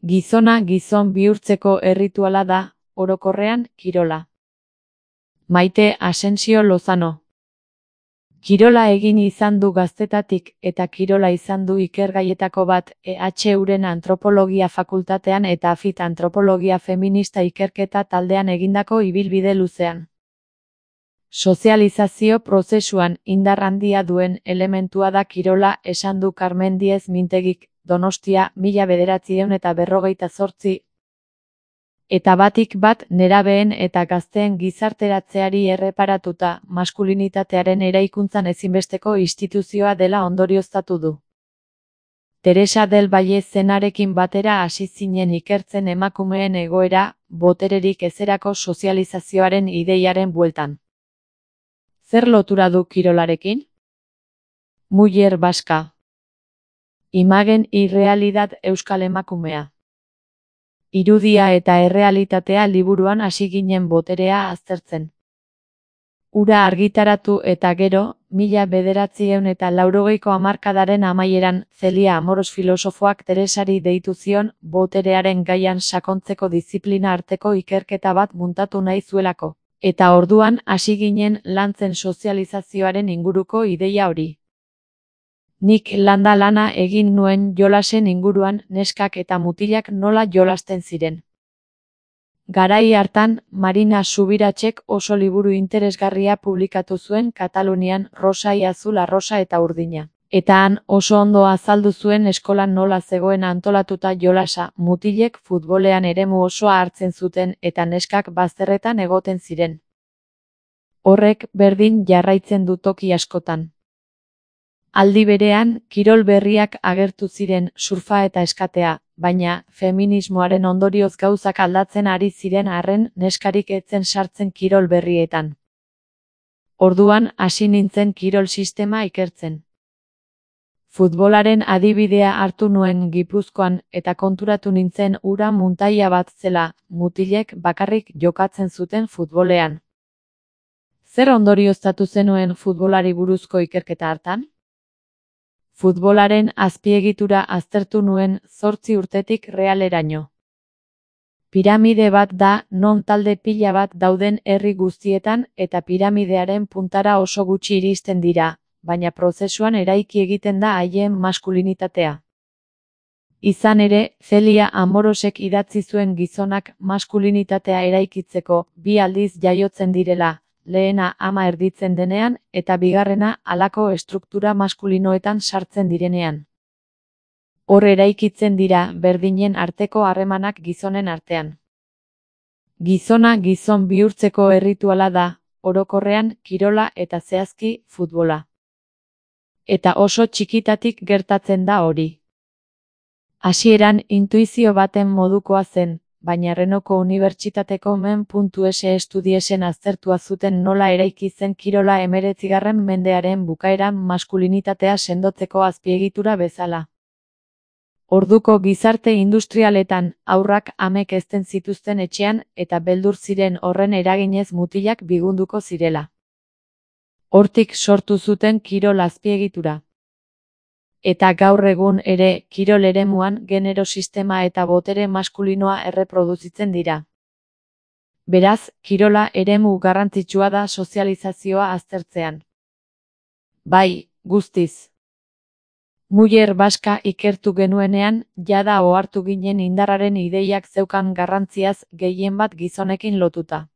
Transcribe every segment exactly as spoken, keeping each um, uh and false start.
Gizona gizon bihurtzeko errituala da, orokorrean, kirola. Maite Asensio Lozano. Kirola egin izan du gaztetatik eta kirola izan du ikergaietako bat E H Uren antropologia fakultatean eta Afit antropologia feminista ikerketa taldean egindako ibilbide luzean. Sozializazio prozesuan indar handia duen elementua da kirola esan du Carmen Diez Mintegik, Donostia, mila bederatziehun eta berrogeita zortzi. Eta batik bat nerabeen eta gazteen gizarteratzeari erreparatuta maskulinitatearen eraikuntzan ezinbesteko instituzioa dela ondorioztatu du. Teresa del Valle zenarekin batera hasi zinen ikertzen emakumeen egoera, botererik ezerako sozializazioaren ideiaren bueltan. Zer lotura du kirolarekin? Muller Vasca. Imagen y realidad euskal emakumea. Irudia eta errealitatea liburuan hasi ginen boterea aztertzen. Ura argitaratu eta gero, mila bederatziehun eta laurogeiko hamarkadaren amaieran, Celia Amoros filosofoak Teresari deitu zion, boterearen gaian sakontzeko diziplina arteko ikerketa bat muntatu nahi zuelako. Eta orduan hasi ginen lantzen sozializazioaren inguruko ideia hori. Nik landa lana egin nuen jolasen inguruan neskak eta mutilak nola jolasten ziren. Garai hartan, Marina Subiratsek oso liburu interesgarria publikatu zuen Katalunian Rosa y Azul arrosa eta urdina. Eta han oso ondo azaldu zuen eskolan nola zegoen antolatuta jolasa, mutilek futbolean eremu osoa hartzen zuten eta neskak bazterretan egoten ziren. Horrek berdin jarraitzen du toki askotan. Aldi berean, kirol berriak agertu ziren surfa eta eskatea, baina feminismoaren ondorioz gauzak aldatzen ari ziren arren neskarik etzen sartzen kirol berrietan. Orduan hasi nintzen kirol sistema ikertzen. Futbolaren adibidea hartu nuen Gipuzkoan eta konturatu nintzen ura muntaia bat zela, mutilek bakarrik jokatzen zuten futbolean. Zer ondorioztatu zenuen futbolari buruzko ikerketa hartan? Futbolaren azpiegitura aztertu nuen zortzi urtetik realeraino. Piramide bat da non talde pila bat dauden herri guztietan eta piramidearen puntara oso gutxi iristen dira, baina prozesuan eraiki egiten da haien maskulinitatea. Izan ere, Celia Amorosek idatzi zuen gizonak maskulinitatea eraikitzeko bi aldiz jaiotzen direla, lehena ama erditzen denean eta bigarrena halako estruktura maskulinoetan sartzen direnean. Hor eraikitzen dira berdinen arteko harremanak gizonen artean. Gizona gizon bihurtzeko errituala da, orokorrean kirola eta zehazki futbola. Eta oso txikitatik gertatzen da hori. Hasieran intuizio baten modukoa zen, baina Renoko Unibertsitateko men.es estudiesen aztertua zuten nola eraiki zen kirola hemeretzigarren mendearen bukaeran maskulinitatea sendotzeko azpiegitura bezala. Orduko gizarte industrialetan, haurrak amek hezten zituzten etxean eta beldur ziren horren eraginez mutilak bigunduko zirela. Hortik sortu zuten kirol azpiegitura. Eta gaur egun ere, kirol eremuan genero sistema eta botere maskulinoa erreproduzitzen dira. Beraz, kirola eremu garrantzitsua da sozializazioa aztertzean. Bai, guztiz. Muller Vasca ikertu genuenean, jada ohartu ginen indarraren ideiak zeukan garrantziaz gehien bat gizonekin lotuta.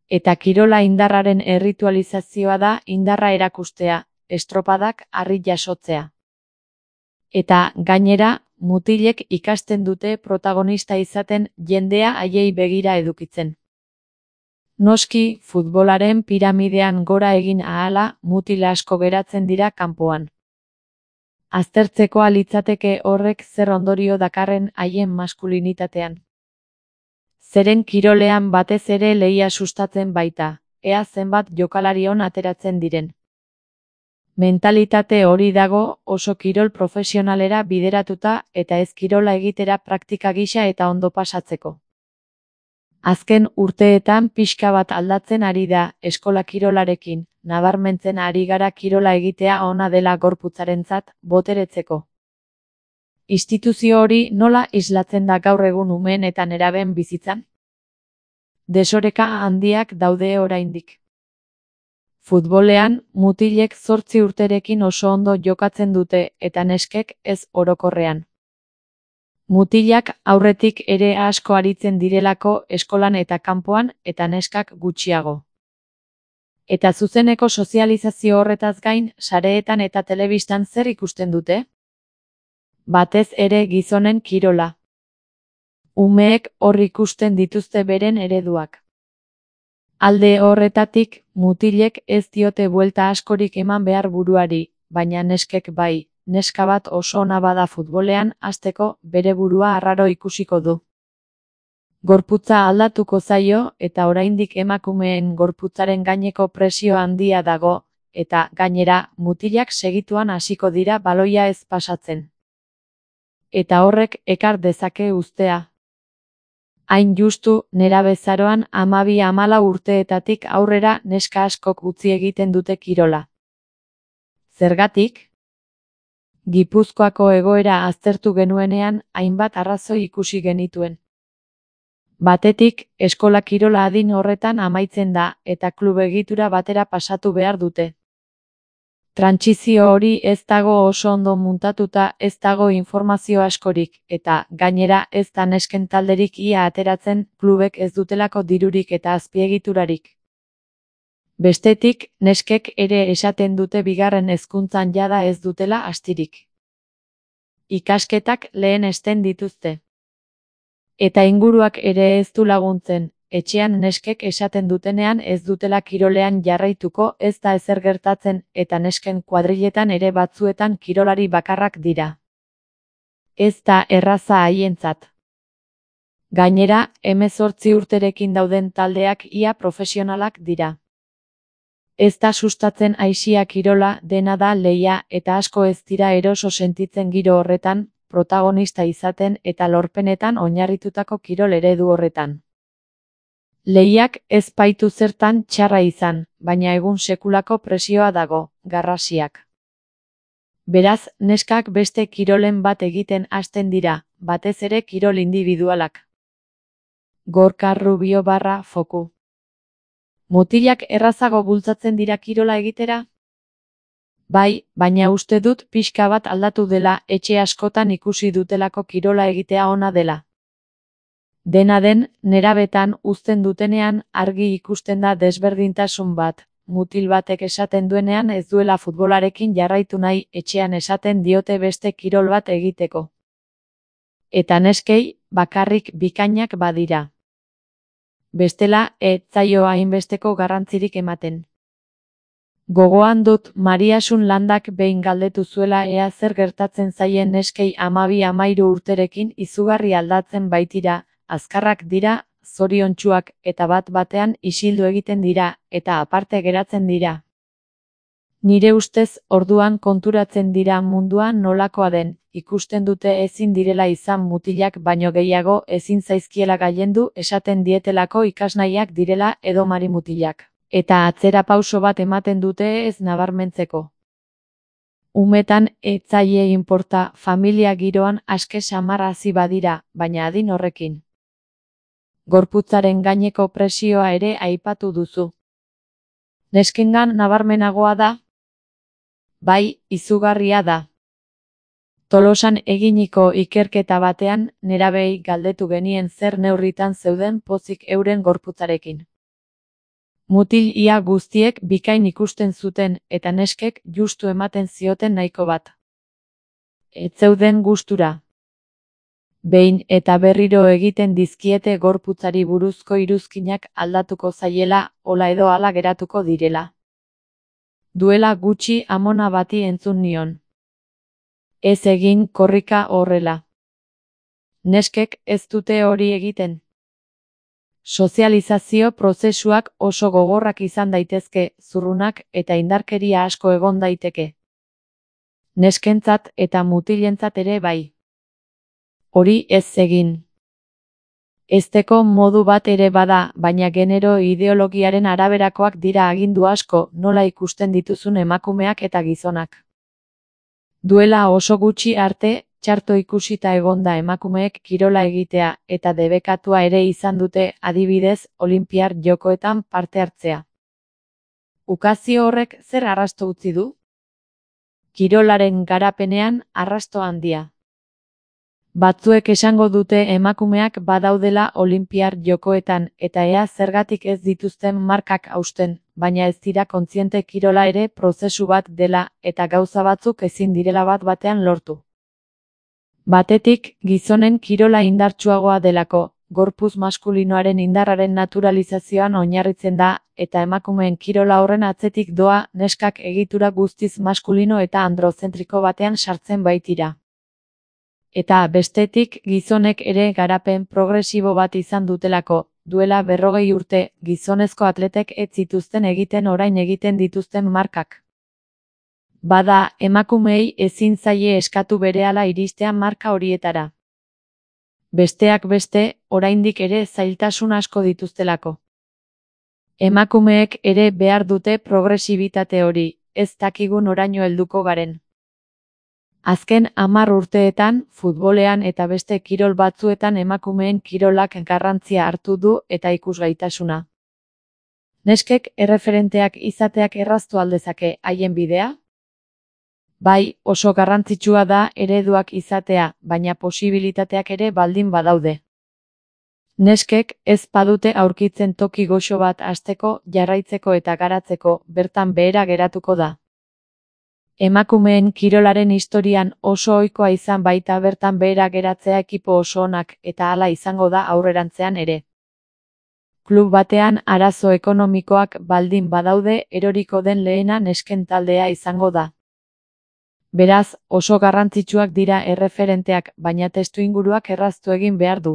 Eta kirola indarraren erritualizazioa da indarra erakustea, estropadak harri jasotzea. Eta, gainera, mutilek ikasten dute protagonista izaten jendea haiei begira edukitzen. Noski, futbolaren piramidean gora egin ahala, mutil asko geratzen dira kanpoan. Aztertzekoa litzateke horrek zer ondorio dakarren haien maskulinitatean. Zeren kirolean batez ere lehia sustatzen baita, ea zenbat jokalarion ateratzen diren. Mentalitate hori dago oso kirol profesionalera bideratuta eta ez kirola egitera praktika gisa eta ondo pasatzeko. Azken urteetan pixka bat aldatzen ari da eskola kirolarekin, nabarmentzen ari gara kirola egitea ona dela gorputzarentzat boteretzeko. Instituzio hori nola islatzen da gaur egun umeen eta nerabeen bizitzan? Desoreka handiak daude oraindik. Futbolean, mutilek zortzi urterekin oso ondo jokatzen dute eta neskek ez orokorrean. Mutilak aurretik ere asko aritzen direlako eskolan eta kanpoan eta neskak gutxiago. Eta zuzeneko sozializazio horretaz gain, sareetan eta telebistan zer ikusten dute? Batez ere gizonen kirola. Umeek hor ikusten dituzte beren ereduak. Alde horretatik, mutilek ez diote buelta askorik eman behar buruari, baina neskek bai, neska bat oso ona bada futbolean hasteko bere burua arraro ikusiko du. Gorputza aldatuko zaio eta oraindik emakumeen gorputzaren gaineko presio handia dago, eta gainera mutilak segituan hasiko dira baloia ez pasatzen. Eta horrek ekar dezake uztea. Hain justu, nerabezaroan hamabi hamalau urteetatik aurrera neska askok utzi egiten dute kirola. Zergatik? Gipuzkoako egoera aztertu genuenean hainbat arrazoi ikusi genituen. Batetik, eskola kirola adin horretan amaitzen da eta klub egitura batera pasatu behar dute. Trantsizio hori ez dago oso ondo muntatuta, ez dago informazio askorik, eta gainera ez da nesken talderik ia ateratzen, klubek ez dutelako dirurik eta azpiegiturarik. Bestetik, neskek ere esaten dute bigarren hezkuntzan jada ez dutela astirik. Ikasketak lehen esten dituzte. Eta inguruak ere ez du laguntzen. Etxean neskek esaten dutenean ez dutela kirolean jarraituko, ez da ezer gertatzen, eta nesken kuadriletan ere batzuetan kirolari bakarrak dira. Ez da erraza haientzat. Gainera, hemezortzi urterekin dauden taldeak ia profesionalak dira. Ez da sustatzen aisia kirola, dena da lehia, eta asko ez dira eroso sentitzen giro horretan, protagonista izaten eta lorpenetan oinarritutako kirol eredu horretan. Lehiak ez baitu zertan txarra izan, baina egun sekulako presioa dago, garrasiak. Beraz, neskak beste kirolen bat egiten hasten dira, batez ere kirol individualak. Gorka Rubio barra foku. Mutilak errazago bultzatzen dira kirola egitera? Bai, baina uste dut pixka bat aldatu dela, etxe askotan ikusi dutelako kirola egitea ona dela. Dena den, nerabetan uzten dutenean argi ikusten da desberdintasun bat, mutil batek esaten duenean ez duela futbolarekin jarraitu nahi, etxean esaten diote beste kirol bat egiteko. Eta neskei, bakarrik bikainak badira. Bestela, ez zaio hainbesteko garrantzirik ematen. Gogoan dut Mariasun Landak behin galdetu zuela ea zer gertatzen zaien neskei hamabi hamahiru urterekin izugarri aldatzen baitira, azkarrak dira, zoriontsuak eta bat batean isildu egiten dira eta aparte geratzen dira. Nire ustez orduan konturatzen dira mundua nolakoa den, ikusten dute ezin direla izan mutilak baino gehiago ezin zaizkiela gailendu esaten dietelako ikasnaiak direla edo marimutilak, eta atzera pauso bat ematen dute ez nabarmentzeko. Umetan ez zaie inporta familia giroan aske samar hasi badira, baina adin horrekin. Gorputzaren gaineko presioa ere aipatu duzu. Neskengan nabarmenagoa da? Bai, izugarria da. Tolosan eginiko ikerketa batean, nerabei galdetu genien zer neurritan zeuden pozik euren gorputzarekin. Mutil ia guztiek bikain ikusten zuten eta neskek justu ematen zioten nahiko bat. Ez zeuden gustura. Behin eta berriro egiten dizkiete gorputzari buruzko iruzkinak aldatuko zaiela, hola edo hala geratuko direla. Duela gutxi amona bati entzun nion. Ez egin korrika horrela. Neskek ez dute hori egiten. Sozializazio prozesuak oso gogorrak izan daitezke, zurrunak eta indarkeria asko egon daiteke. Neskentzat eta mutilentzat ere bai. Hori ez egin. Ezteko modu bat ere bada, baina genero ideologiaren araberakoak dira agindu asko, nola ikusten dituzun emakumeak eta gizonak. Duela oso gutxi arte, txarto ikusita egonda emakumeek kirola egitea eta debekatua ere izan dute, adibidez, Olinpiar Jokoetan parte hartzea. Ukazio horrek zer arrasto utzi du? Kirolaren garapenean arrasto handia. Batzuek esango dute emakumeak badaudela Olinpiar Jokoetan eta ea zergatik ez dituzten markak hausten, baina ez dira kontziente kirola ere prozesu bat dela eta gauza batzuk ezin direla bat batean lortu. Batetik, gizonen kirola indartsuagoa delako, gorputz maskulinoaren indarraren naturalizazioan oinarritzen da, eta emakumeen kirola horren atzetik doa neskak egitura guztiz maskulino eta androzentriko batean sartzen baitira. Eta bestetik gizonek ere garapen progresibo bat izan dutelako, duela berrogei urte, gizonezko atletek ez zituzten egiten orain egiten dituzten markak. Bada, emakumeei ezin zaie eskatu berehala iristea marka horietara. Besteak beste, oraindik ere zailtasun asko dituztelako. Emakumeek ere behar dute progresibitate hori, ez dakigu noraino helduko garen. Azken hamar urteetan, futbolean eta beste kirol batzuetan emakumeen kirolak garrantzia hartu du eta ikusgaitasuna. Neskek erreferenteak izateak erraztu aldezake haien bidea? Bai, oso garrantzitsua da ereduak izatea, baina posibilitateak ere baldin badaude. Neskek ez badute aurkitzen toki goxo bat hasteko, jarraitzeko eta garatzeko, bertan behera geratuko da. Emakumeen kirolaren historian oso ohikoa izan baita bertan behera geratzea ekipo oso onak eta hala izango da aurrerantzean ere. Klub batean arazo ekonomikoak baldin badaude eroriko den lehena nesken taldea izango da. Beraz, oso garrantzitsuak dira erreferenteak, baina testuinguruak erraztu egin behar du.